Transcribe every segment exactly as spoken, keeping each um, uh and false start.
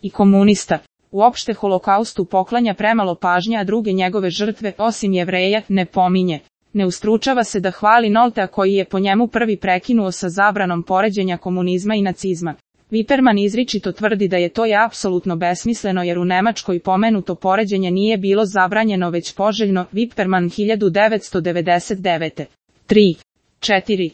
i komunista. Uopšte holokaustu poklanja premalo pažnje, a druge njegove žrtve, osim Jevreja, ne pominje. Ne ustručava se da hvali Noltea koji je po njemu prvi prekinuo sa zabranom poređenja komunizma i nacizma. Wipperman izričito tvrdi da je to je apsolutno besmisleno jer u Nemačkoj pomenuto poređenje nije bilo zabranjeno već poželjno. Wipperman hiljadu devetsto devedeset devete. tri. četiri.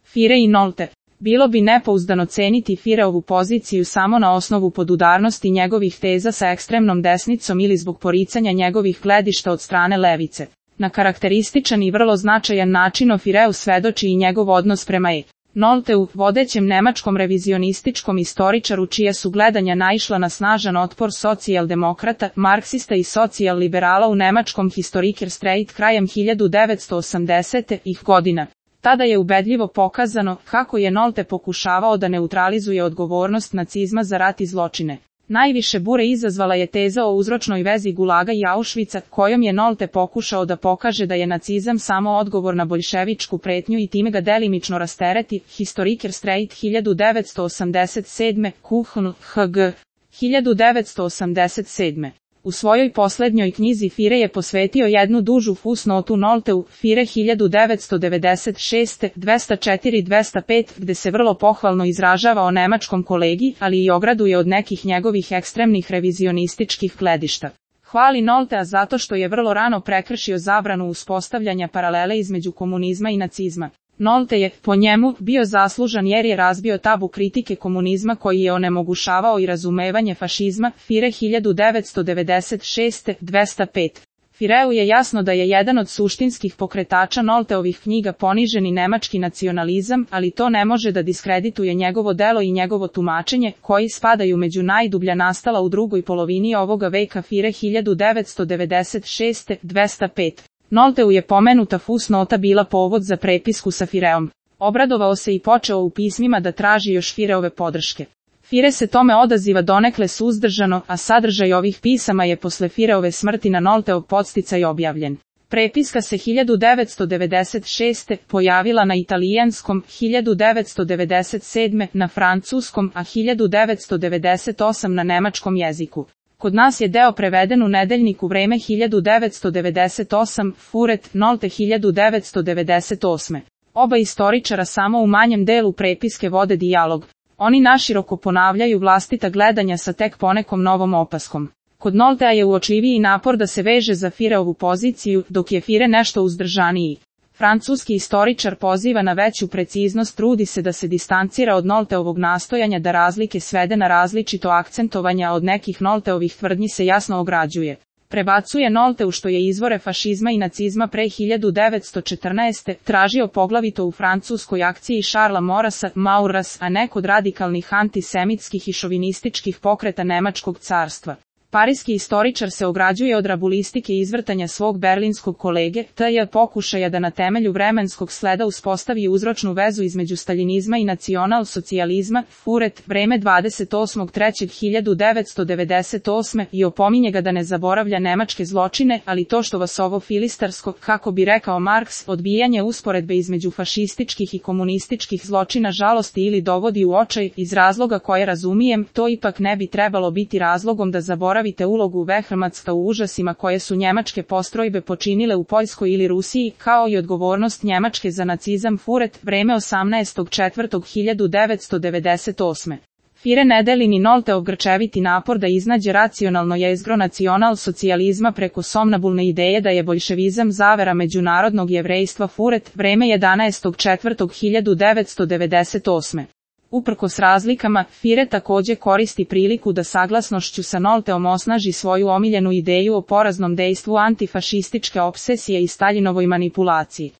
Fire i Nolte. Bilo bi nepouzdano ceniti Fireovu poziciju samo na osnovu podudarnosti njegovih teza sa ekstremnom desnicom ili zbog poricanja njegovih gledišta od strane levice. Na karakterističan i vrlo značajan način o Fireu svedoči i njegov odnos prema E. Nolteu, vodećem nemačkom revizionističkom istoričaru čija su gledanja naišla na snažan otpor socijaldemokrata, marksista i socijal-liberala u nemačkom Historiker Streit krajem hiljadu devetsto osamdesetih godina. Tada je ubedljivo pokazano kako je Nolte pokušavao da neutralizuje odgovornost nacizma za rat i zločine. Najviše bure izazvala je teza o uzročnoj vezi Gulaga i Auschwitza, kojom je Nolte pokušao da pokaže da je nacizam samo odgovor na boljševičku pretnju i time ga delimično rastereti. Historiker Streit hiljadu devetsto osamdeset sedme. Kuhn, H G. hiljadu devetsto osamdeset sedme. U svojoj poslednjoj knjizi Fire je posvetio jednu dužu fusnotu Nolteu, Fire hiljadu devetsto devedeset šeste. dvesta četiri do dvesta pet, gde se vrlo pohvalno izražava o nemačkom kolegi, ali i ograduje od nekih njegovih ekstremnih revizionističkih gledišta. Hvali Noltea zato što je vrlo rano prekršio zabranu uspostavljanja paralele između komunizma i nacizma. Nolte je, po njemu, bio zaslužan jer je razbio tabu kritike komunizma koji je onemogućavao i razumevanje fašizma. Fire hiljadu devetsto devedeset šeste. dvesta pet. Fireu je jasno da je jedan od suštinskih pokretača Nolteovih knjiga poniženi nemački nacionalizam, ali to ne može da diskredituje njegovo delo i njegovo tumačenje, koji spadaju među najdublja nastala u drugoj polovini ovoga veka. Fire hiljadu devetsto devedeset šeste. dvesta pet. Nolteu je pomenuta fusnota bila povod za prepisku sa Fireom. Obradovao se i počeo u pismima da traži još Fireove podrške. Fire se tome odaziva donekle suzdržano, a sadržaj ovih pisama je posle Fireove smrti na Nolteov podsticaj objavljen. Prepiska se hiljadu devetsto devedeset šeste. pojavila na italijanskom, hiljadu devetsto devedeset sedme. na francuskom, a hiljadu devetsto devedeset osme. na nemačkom jeziku. Kod nas je deo preveden u nedeljniku Vreme hiljadu devetsto devedeset osme. Furet, Nolte hiljadu devetsto devedeset osme. Oba istoričara samo u manjem delu prepiske vode dijalog. Oni naširoko ponavljaju vlastita gledanja sa tek ponekom novom opaskom. Kod Noltea je uočljiviji napor da se veže za Fireovu poziciju, dok je Fire nešto uzdržaniji. Francuski istoričar poziva na veću preciznost, trudi se da se distancira od Nolteovog nastojanja da razlike svede na različito akcentovanja, od nekih Nolteovih tvrdnji se jasno ograđuje. Prebacuje Nolteu što je izvore fašizma i nacizma pre hiljadu devetsto četrnaeste. tražio poglavito u francuskoj akciji Šarla Morasa, Mauras, a ne kod radikalnih antisemitskih i šovinističkih pokreta Nemačkog carstva. Parijski istoričar se ograđuje od rabulistike i izvrtanja svog berlinskog kolege, te pokušaja da na temelju vremenskog sleda uspostavi uzročnu vezu između staljinizma i nacional-socijalizma. Furet, Vreme dvadeset osmog trećeg hiljadu devetsto devedeset osme. i opominje ga da ne zaboravlja nemačke zločine, ali to što vas ovo filistarsko, kako bi rekao Marks, odbijanje usporedbe između fašističkih i komunističkih zločina žalosti ili dovodi u očaj, iz razloga koje razumijem, to ipak ne bi trebalo biti razlogom da zaboravite ulogu Wehrmachtsa u užasima koje su njemačke postrojbe počinile u Poljskoj ili Rusiji, kao i odgovornost Njemačke za nacizam. Furet, Vreme osamnaestog četvrtog hiljadu devetsto devedeset osme. Fire ne deli ni Nolteov grčeviti napor da iznađe racionalno jezgro nacional-socijalizma preko somnabulne ideje da je boljševizam zavera međunarodnog jevrejstva. Furet, Vreme jedanaestog četvrtog hiljadu devetsto devedeset osme. Uprkos razlikama, Fire takođe koristi priliku da saglasnošću sa Nolteom osnaži svoju omiljenu ideju o poraznom dejstvu antifašističke opsesije i Staljinovoj manipulaciji.